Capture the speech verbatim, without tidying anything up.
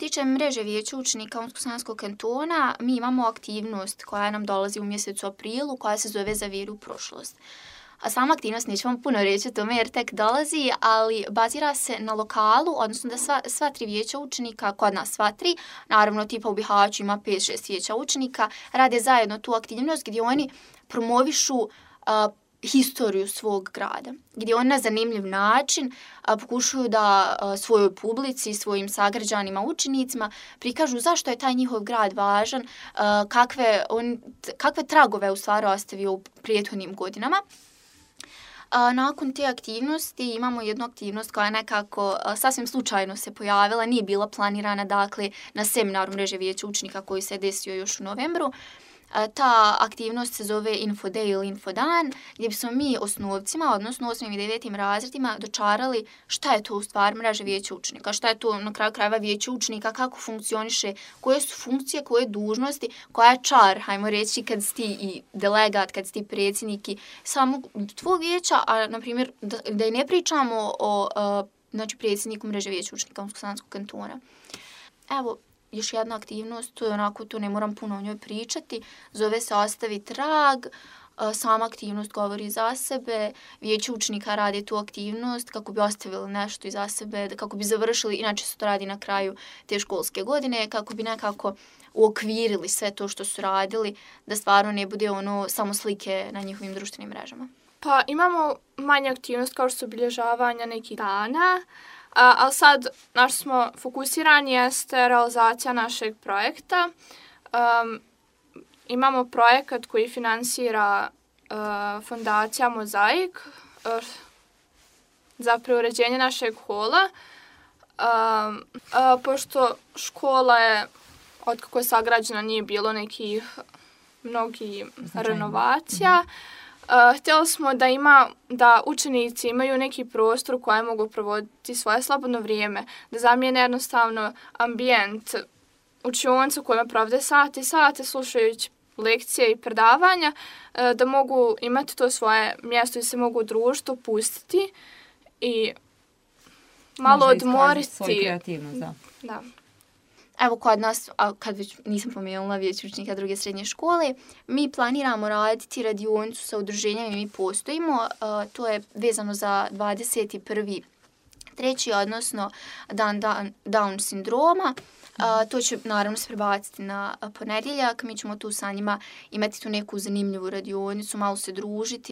tiče mreže vijeća učenika Unsko-Sanskog kantona, mi imamo aktivnost koja nam dolazi u mjesecu aprilu, koja se zove Za vjeru u prošlost. A sama aktivnost, neću vam puno reći o tome jer tek dolazi, ali bazira se na lokalu, odnosno da sva, sva tri vijeća učenika, kod nas sva tri, naravno tipa u Bihaću ima pet šest vijeća učenika, rade zajedno tu aktivnost gdje oni promovišu uh, historiju svog grada, gdje oni na zanimljiv način a, pokušaju da a, svojoj publici, svojim sagrađanima, učenicima prikažu zašto je taj njihov grad važan, a, kakve, on, kakve tragove u stvari ostavio u prethodnim godinama. A, nakon te aktivnosti imamo jednu aktivnost koja je nekako a, sasvim slučajno se pojavila, nije bila planirana, dakle, na seminaru mreže vijeća učenika koji se desio još u novembru. Ta aktivnost se zove Info-day ili Infodan, gdje bismo mi osnovcima, odnosno osmim i devetim razredima, dočarali šta je to u stvari mreža vijeća učenika, šta je to na kraju krajeva vijeće učenika, kako funkcioniše, koje su funkcije, koje dužnosti, koja je čar, hajmo reći, kad si ti i delegat, kad si ti predsjednik i samo tvoj vijeća, a na primjer da, da i ne pričamo o uh, znači, predsjedniku mreže vijeća učenika Unsko-Sanskog kantona. Evo, još jedna aktivnost, to je onako, to ne moram puno o njoj pričati, zove se Ostavi trag, sama aktivnost govori za sebe, vijeće učenika radi tu aktivnost kako bi ostavili nešto iza sebe, kako bi završili, inače se to radi na kraju te školske godine, kako bi nekako uokvirili sve to što su radili, da stvarno ne bude ono samo slike na njihovim društvenim mrežama. Pa imamo manje aktivnost kao što su obilježavanja nekih dana, A, ali sad naš smo fokusirani jeste realizacija našeg projekta. Um, imamo projekat koji finansira uh, fondacija Mozaik uh, za preuređenje našeg hola. Um, uh, pošto škola je, od kako je sagrađena, nije bilo nekih mnogih renovacija. Mm-hmm. Uh, htjeli smo da ima, da učenici imaju neki prostor u kojem mogu provoditi svoje slobodno vrijeme, da zamijene jednostavno ambijent učionica u kojem provode sate i sate slušajući lekcije i predavanja, uh, da mogu imati to svoje mjesto i se mogu u društvu pustiti i malo Može odmoriti. Svoju kreativnost, da. Da. Evo kod nas, a kad već nisam pomenula vijeće učenika druge srednje škole, mi planiramo raditi radionicu sa udruženjem i mi postojimo. Uh, to je vezano za dvadeset prvi treći odnosno dan, dan Down sindroma. Uh, to će naravno se prebaciti na ponedjeljak. Mi ćemo tu sa njima imati tu neku zanimljivu radionicu, malo se družiti.